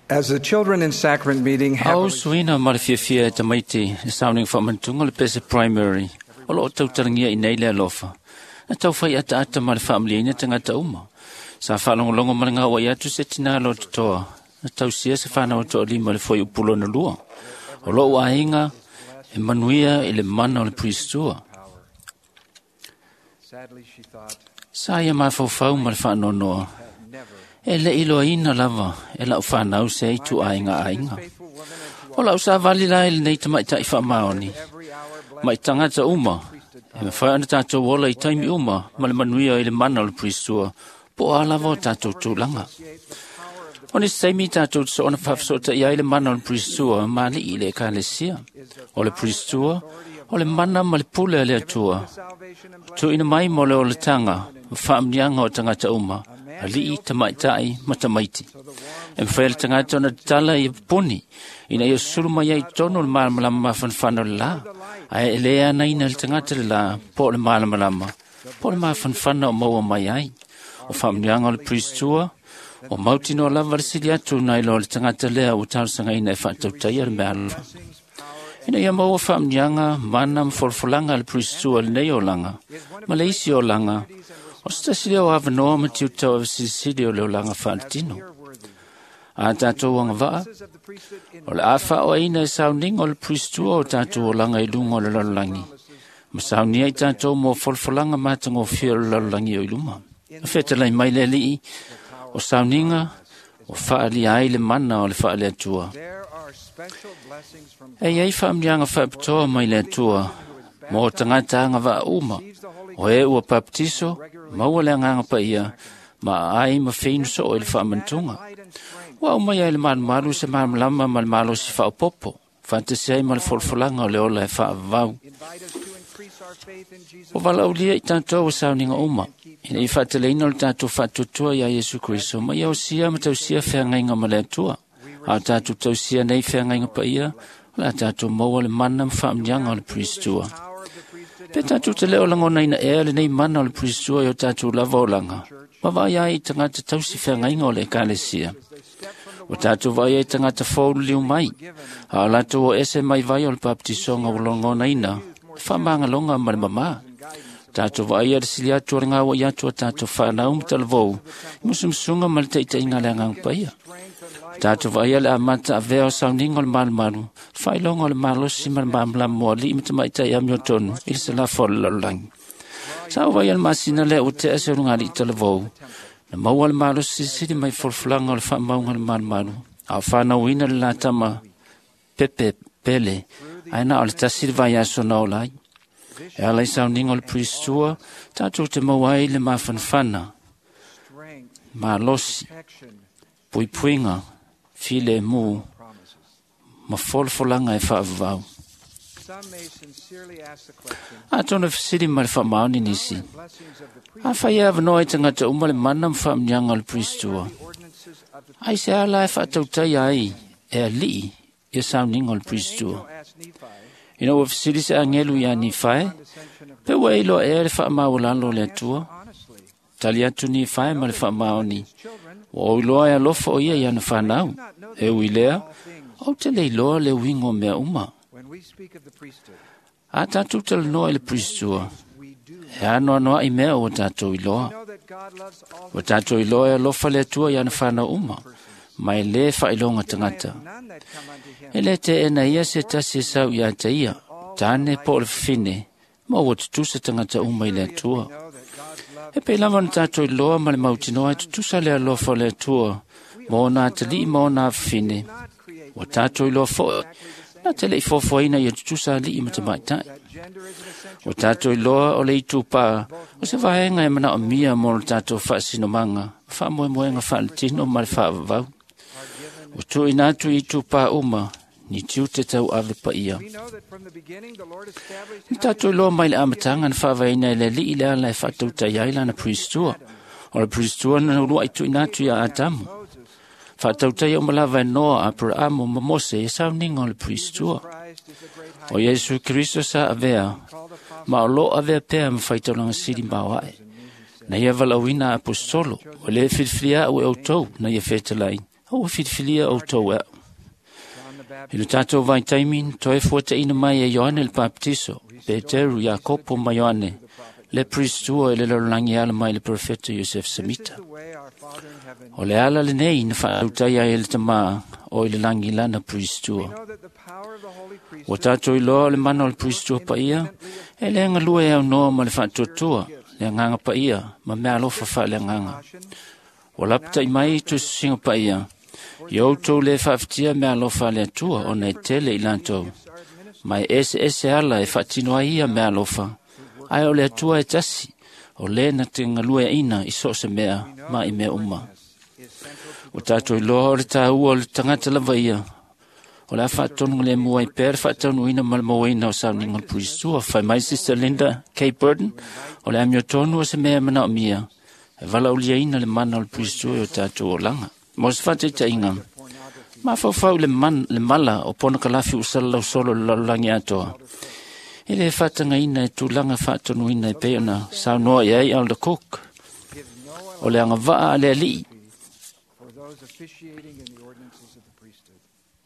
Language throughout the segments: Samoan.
As the children in sacrament meeting Au happily suina ma le fiafia e tamaiti e sauning whamantunga le pese primary o loo tautalangia i nei le alofa. Na tau whai ata ata ma le whaamliaina tangata uma. Sa whaalongolongo ma le ngā wai atu se tina lo totoa. Na tau sia se whanau toa lima le foi upulo na lua. O loo ainga e manuia i le mana o le priestua. sadly she thought, Sa ia mafaufau ma le whaanonoa. have never. E le iloaina lava e lau whanau se i tu ainga ainga. Faithful woman and to O lau sa vali lai le nei tamaitai whaamaoni. every hour blessed Mai tangata uma, e mawhai ana tātou ola i taimi uma, ma le manuia i le mana o le priestua, po a lava o tātou tūlanga. the power of the O ni seimi tātou so ona whawhasota i ai le mana o le priestua, ma li i le ekalesia. O le priestua, o le mana ma le pule a le atua. salvation and blessing. Tuina mai mo le olatanga, ma whaamnianga o tangata uma, a lii tamaitai ma tamaiti. E mwhai le tangata ona tala i puni, ina ia sulu mai ai tono le malamalama mafanfana o le la. Ae e le ana ina le tangata le la, po le malamalama, po le mafanfana o maua mai ai. O whaamnianga o le priestua, o mautino lava le sili atu nai lo le tangata lea o talosaga e whaatautaia le mea alofa. Ina ia maua whaamnianga, mana ma folafolanga le priestua le nei olanga, ma le isi olanga, o se tasi lea o awanoa ma tiutau awasilisili o le olanga whaaletino. A tātou anga vaa, Of the priesthood in o le awha o aina e sauninga o le priestua o tātou olanga i lunga o le lalolagi. Ma saunia i tātou mō folafolanga mātangofia o le lalolagi o i luma. A whetalai mai le alii, o sauninga, o whaalia ai le mana o le whaale atua. there are special blessings from E iai whaamnianga whaapitoa mai le atua, mō tangata anga vaa uma, o e ua baptiso, maua le anganga pa ia, ma ai ma whinu so o i le whaamantunga. light and strength. Ua au mai ai le malumalu se malamalama ma le malosi whaopopo, whantasi ai ma le folfolanga o le ola e whaavau. Invite us to increase our faith in Jesus O valaulia i tātou o sauninga uma, ina i whaataleina o le tātou whaatutua ia Yesu Kristo, ma ia osia ma tausia wheangainga ma le atua. A o tātou tausia nei wheangainga pa ia, o le a tātou maua le mana ma whaamnianga o le priestua. power of the priesthood Pe tātou te leo langona ina ea le nei mana o le priestua i o tātou lava o langa. Ma vai ai i tangata tausi wheangainga o le ekalesia. O tātou vai ai tangata fōulu liu mai. A o lātou o ese mai vai o le baptisonga o langona ina, le whamangalonga ma le mamā. Tātou vai a le sili atu o le ngāwa i atu o tātou whanau ma talavou, i musumusunga ma le teiteinga le angang paia. Tātou vai a le amata avea o sauninga o le malumalu, whailonga o le malosi ma le mamalamu o alii ma tamaitai amio tonu, i le salafo o le lalolagi. Sa o vai a le masina lea o te ase o lunga alii talavou, na maua le malosi sili mai folfolanga o le whaamaunga le malumalu, a o whanauina le latama pepe pele, ai na o le tasi le vai aso na o lai. E ala i sauninga o le priestua, tātou te maua ai le mafanfana, strength, malosi, protection, puipuinga, file mu, promises. ma folfolanga e whaavau. Some may sincerely ask the question, A tōna whisiri ma le whaamaoni nisi. blessings of the priest, A whai ava noa i tangata uma le mana ma whaamnianga o le priestua. the ordinances of the Ai se ala e whaatautai ai e alii ia sauninga o le priestua. asked Nephi, Ina ua whisiri se angelu ia ni whae, ascension of pe ua iloa ea le whaamaulalo le atua. honestly, Tali atu ni whae ma le whaamaoni. children Ua oiloa e alofa o ia i ana whanau. E ui lea, au te leiloa le uingo mea uma. when we speak of the priesthood, A tātou talanoa i le priestua, we do e ano anoa i mea o tātou iloa. know that God loves all O tātou iloa e alofa le atua i ana whanau uma, mai le whailonga tangata. none that come unto him. E le te ena ia se tasi e sau ia te ia, tāne po le whine, ma ua tutusa tangata uma i le atua. Know that God's love E pe lava na tātou iloa ma le mautinoa e tutusa le alofa o le atua, ma ona atalii ma ona whine. not create O tātou iloa foe, na te lei fofoina ia tutusa alii ma tamaitai. that gender is an essential O tātou iloa o le itupā, o se vaenga e mana o mia mō le tātou whaasinomanga, whaamoemoenga whaaletino ma le whaavavau. O tuina atu i itupā uma, ni tiu te tau ave pa ia. We know that from the beginning the Lord established Ni tātou iloa mai le amatanga na whaavaina e le lii le ala e whaatautai ai lana priestua. O le priestua na ulua i tuina atu ia Atamu. Moses, Whaatautai o malava e Noa, Abrahamu ma Mose e sauninga o le priestua. Christ is the great high O Iesu Kristo sa avea, called apostle ma o lo avea pea ma whaitaulanga sili mao ae. Na ia valauina apostolo, o le filfilia au e autou na ia whetalai, A ua filifilia outou e a'u. John the I Baptist le tatou vaitaimi na toe fuataʻina mai e Ioane le Papatiso, Peteru, Iakopo ma Ioane, le Pristua i le lalolagi e ala mai le Perofeta Iosef This is Semita. the way our Father in heaven. O le ala lenei na faautaia ai e le Tamā o i le lagi lana We Pristua. know that the power of the holy Ua priesthood tatou iloa o le mana o le Pristua paia, e le galue e aunoa ma le faatuatua, le agaga paia ma mea alofa faaleagaga. caution Ua lapataʻi mai tusitusiga paia, i outou lē faafitia mea alofa a le Atua ona e tele i latou. gifts are administered. Ma e eseese ala e faatino ai ia mea alofa, ae o le Atua e tasi, o lē na te galueaʻina i so o se mea ma i mea uma. Is central to Ua tatou iloa o le tāua o le tagata lava ia, o le a faatonu le mua ai pea le faataunuina ma le mauaina o sauniga o le Purisua. Fai mai Sister Linda K. Burton, o le amiotonu o se mea e manaomia, e valaauliaina le mana o le Purisua i o tatou olaga. Mo se faataitaiga, pornography. mafaufau le, man, le mala o ponokalafi ua salalau solo i le lalolagi atoa. E lē faatagaina e tulaga faatonuina e pei ona saunoa i ai Elder Cook. Gives no O le agavaa a le alii for those officiating in the ordinances of the priesthood.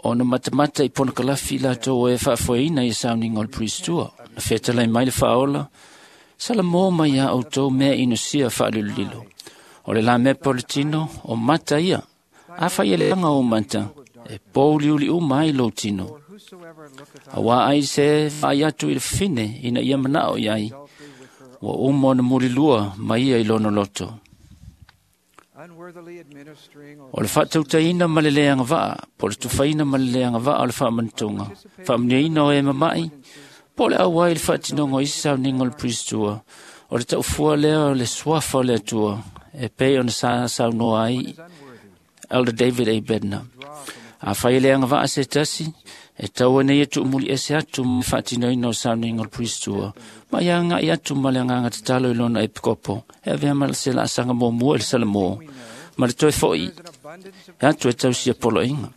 ona matamata i ponokalafi i latou e faafoeina i sauniga o le Puristua. Na fetalai mai le faaola, salamō mai iā outou mea inosia faalilolilo. O le lamea poletino, o mata ia. Afai e le aga o mata, e pouliuli uma ai lou tino. For whosoever looketh on Auā ai se vaai atu i le fafine ina ia manao i ai, adultery with her ua uma ona mulilua ma ia i lona loto. unworthily administering or O le faatautaina ma le lē agavaa, po o le tufaina ma le lē agavaa o le faamanatuga, faamuniaina o e mama'i, po o le auai i le faatinoga o isi sauniga o le Puristua, o le taufua lea o le suafa o le Atua, e pei ona sa saunoa ai is unworthy Elder David A. Bednar. draw from Afai e le agavaa se tasi, e tau nei e tuumuli ese atu ma le faatinoina o sauniga o le Puristua, ma ia agaʻi atu ma le agaga tatalo i lona epikopo, e avea ma se laasaga muamua i le Salamō, ma le toe foʻi There is an abundance of e atu e tausia poloaiga.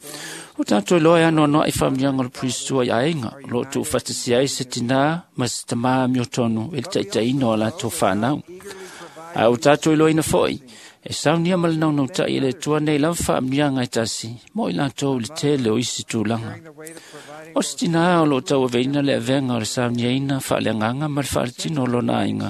O tatou iloa e anoanoaʻi faamanuiaga o le Puristua i aiga, o loo tuufaatasia ai se tinā ma se tamā amiotonu i le taitaiina o a latou fanau. eagerly provide Ae ua tatou iloaina foʻi, e saunia ma le naunautaʻi e le Atua nei lava faamanuiaga e tasi, mo i latou i le tele o isi tulaga. during the weight of providing O se tinā o loo tauaveina le avega o le sauniaina faaleagaga ma le faaletino o lona aiga,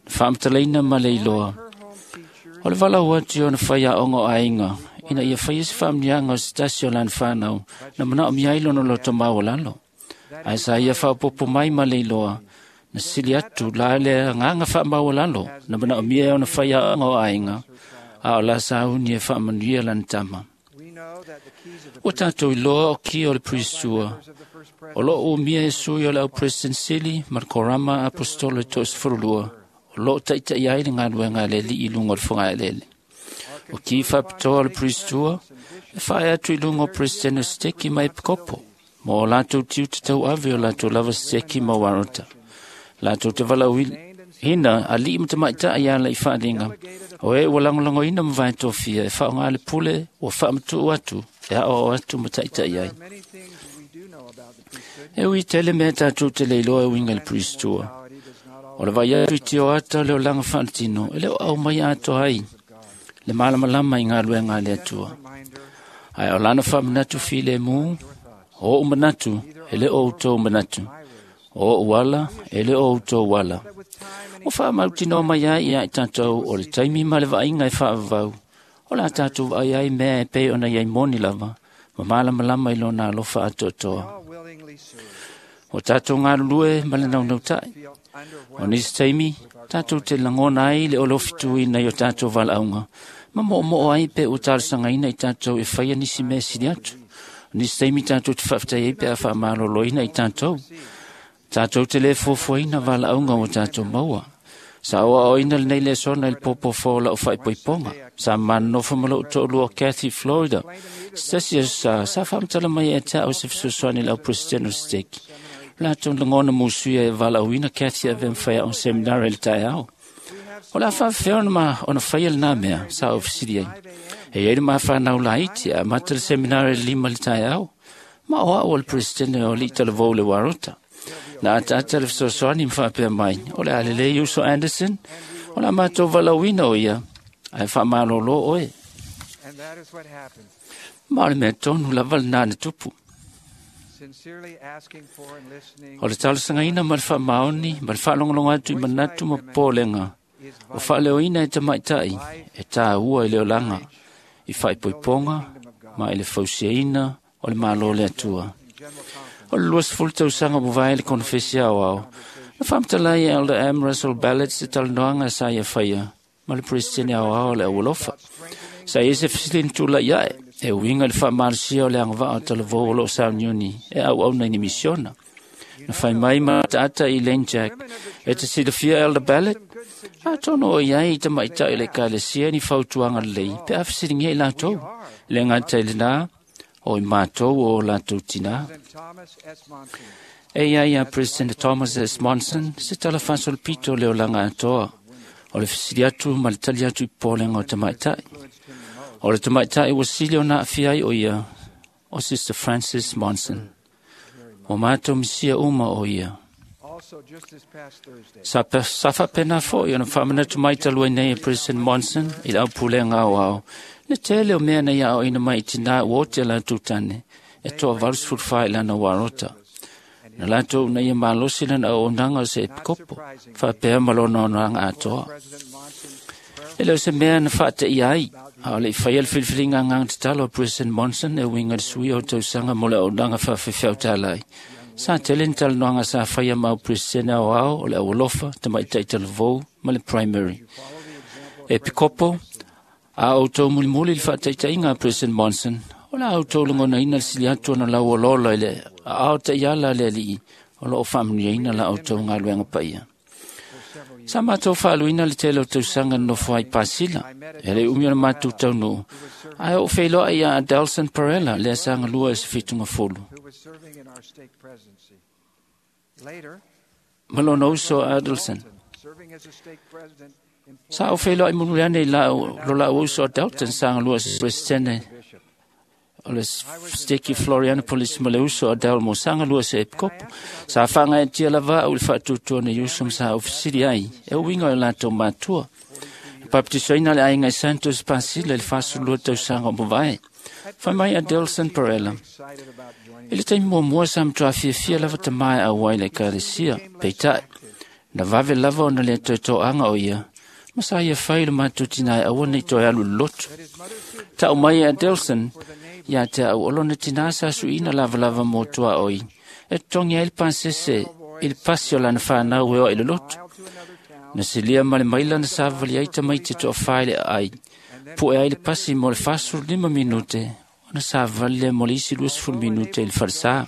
na faamatalaina ma le iloa. her home teachers O le valaau atu i ona faiaoga o aiga, ina ia faia se faamanuiaga o se tasi o lana fanau, na manaomia ai lona loto maualalo. Ae sa ia faaopoopo mai ma le iloa, na sili atu la le agaga faamaualalo, na manaomia e ona faiaoga o aiga, a o la sauni e faamanuia lana tama. we know that the keys of the Ua tatou iloa o kia o le Puristua, members of the first o loo umia e sui o le au President Sili ma le Korama Apostolo e 32, o loo taʻitaʻi ai le galuega a le alii i luga o le fogaelele. O ki faapitoa o le Puristua, e faae atu i luga o President o Seteki ma Epikopo, ma o latou tiute tauave o latou lava seteki ma warota. Latou te valaauina alii ma tamaitaʻi ala i faaliga, o e ua lagolagoina ma vaetofia e faaaogā le pule ua faamatuu atu e aoao atu ma taʻitaʻi ai. There are many things we do know about the priesthood. E ui tele mea tatou te le iloa e uiga i le Puristua. Mortality does not O le vai atu i tio ata o le olaga faaletino, e le o au mai atoa ai le malamalama i galuega a le Atua. reminder Ae o lana faamanatu filemu, o oʻu manatu, e le o outou manatu. O oʻu ala, e le o outou ala. that with time and Ua faamautinoa mai ai ia i tatou o le taimi ma le vaaiga e faavavau. O la tatou vaai ai mea e pei ona iai moni lava, ma malamalama i lona alofa atoatoa. all willingly serve, O tatou galulue ma le naunautaʻi. feel O underwhelmed nisi taimi, tatou te lagona ai le olofituina i o tatou valaauga, ma moomoo ai pe ua talosagaina i tatou e faia nisi mea sili atu. O nisi taimi tatou te faafetai ai pe a faamaloloina i tatou. Tatou te lē fuafuaina valaauga ua tatou maua. Sa oaoaina lenei lesona i le pōpōfō o lau faaipoipoga. Sa manonofo ma lou toʻalua o Kathy Florida. Se tasi aso sa, sa faamatala mai e te au se fesoasoani i le au president o Seteki. Latou lagona musuia e valaauina Kathy e avea ma faiaoga seminari i le taeao. O le a faafefea ona ma ona faia lenā mea, sa ou fesili ai. E iai le mafanau laiti e amata le seminari i le 5 le taeao. Ma o a'u o le president o alii talavou le Warota. Na ataata le fesoasoani ma faapea mai, o le a lelei uso Anderson, o le a matou valaauina o ia, ae faamalōlō oe. And that is what happened. Ma o le mea tonu lava lenā na tupu. O le talosagaina ma le faamaoni ma le faalogologo atu i manatu ma popolega o faaleoina e tamaitai e tāua i le olaga, i faaipoipoga ma i le fausiaina o le Malo o le Atua. O le 20 tausaga ua mavae le konofesi aoao, na faamatala ai e Elder M. Russell Ballard se talanoaga sa ia faia ma le Peresetene aoao o le Aualofa. Sa i ai se fesili na tulai ae e uiga i le faamalosia o le agavaa o talavou o loo sauniuni e auauna i ni misiona. Na fai mai ma ataata i Lane Jack, e te silafia Elder Ballard, atonu o iai i tamaitai o le ekalesia ni fautuaga lelei pe a fesiligia i latou. Le gata i lenā, o i matou o latou tinā. E ia ia President Thomas S. Monson se tala faasolopito o le olaga atoa, o le fesili atu ma le tali atu i popolega o tamaitai. O le tamaitai ua sili ona aafia ai o ia, o Sister Frances Monson. Ua matou misia uma o ia. Sa faapena foi ona faamanatu mai talu ai nei e President Monson i le aupulega aoao, le tele o mea na ia aoaina mai i tinā ua ote a latou tane, e toa 84 i lana uarota. Na latou na ia malosi lana auaunaga o se epikopo, faapea ma lona onaga atoa. E le o se mea na faateia ai, a o le i faia le filifiliga agaga tatalo a President Monson e uiga i le suia o tausaga mo le auaunaga faafefeau Sa tele ni talanoaga sa faia ma au Peresetene aoao o le Aualofa, Tamaitai Talavou ma le Primary. E pikopo, a outou mulimuli i le faataitaiga a President Monson, o le a outou lagonaina le sili atu ona lauoloolo i le aao taiala a le Alii o loo faamanuiaina la outou galuega paia. Sa matou faaluina le tele o tausaga na nofo ai Pasila, e le umi o le matou taunuu, ae ou feiloai ia Adelson Parella lea sa galua i se fituga fulu. Ma lona uso a Adelson. Sa ou feiloai mulimuli ane i lo lau uso a Dalton sa galua i se Peresetene o le Steki Florianopolis ma le uso a Dalmo sa galua se epikopo. Sa faagaeatia lava au i le faatuatua nei uso ma sa ou fesili ai e uiga o latou matua. E baptisoina le aiga i Santos Pasila i le 42 tausaga o mavae. Fai mai a Delson Parella. I le taimi muamua sa matuā fiafia lava tamā e auai i le ekalesia, peitai, na vave lava ona le toetoaga o ia, ma sa ia fai le matou tinā e aua nei toe alu i le lotu. Tau mai e Adelson, ia te au o lona tinā sa suiina lavalava mo tuaoi, e totogi ai le pasese i le pasi o lana whanau e oa i le lotu. Na silia ma le maila na savali ai tamaiti toafā i le aai, pu'e ai le pasi mo le 45 minute, ona savali lea mo le isi 20 minute i le falesā.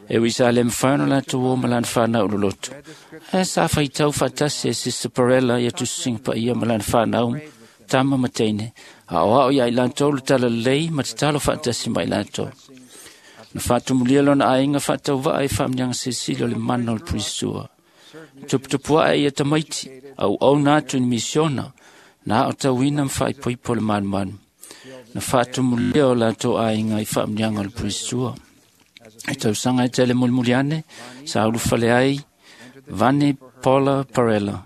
E ui sa le mawhai ona latou o ma lana whanau le lotu. Ae sa faitau faatasi e Sister Parella ia tusisinga paia ma lana whanau, tama ma teine, a o ao ia i latou le talalelei ma tatalo faatasi mai latou. Na faatumulia lona aiga faatauvaa i faamanuiaga silisili o le mana o le purisua. Tuputupuae ia tamaiti, auauna atu i ni misiona, na aotauina ma faaipoipo le malumalu. Na faatumulia o latou aiga i faamanuiaga o le purisua. E tausaga e tele mulimuli ane, sa ulufale ai Vani Paula Parella.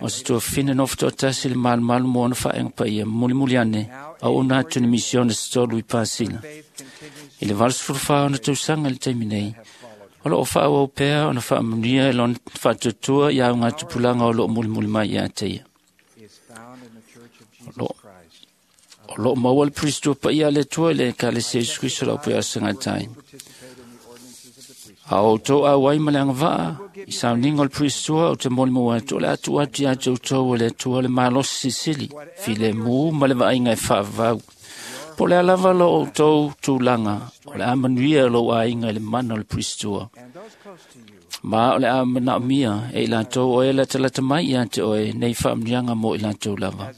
O se tuafafine nofo toatasi le malumalu mo ona faaega paia mulimuli ane, auauna atu i ni misiona se tolu i Pasila. I le 84 ona tausaga i le taimi nei, o loo faaauau pea ona faamanuia e lona faatuatua i augatupulaga o loo mulimuli mai ia te ia. O loo maua le purisua paia a le Atua i le Ekalesia Iesu Keriso o le Aupuiasagatai. A o outou auai ma le agavaa i sauniga o le purisua, ou te molimau atu o le a tuu atu ia te outou e le Atua le malosi silisili, filemu ma le vaaiga e faavavau. Po o le a lava lo outou tulaga, o le a manuia lou aiga i le mana o le purisua. Ma o le a manaomia e i latou o e latalata mai ia te oe nei faamanuiaga mo i latou lava.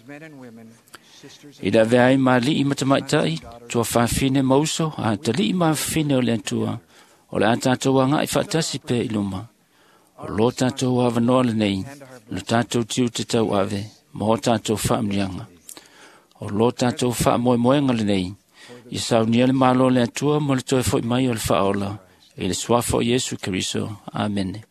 I le avea ai ma alii ma tamaitai, tuafafine ma uso, a talii ma afafine o le Atua, o le a tatou agai faatasi pea i luma. O lo tatou avanoa lenei, lo tatou tiute tauave, ma o tatou faamanuiaga. O lo tatou faamoemoega lenei, ia saunia le Malo o le Atua ma le toe foi mai o le faaola, i le suafa o Iesu Keriso. Amene.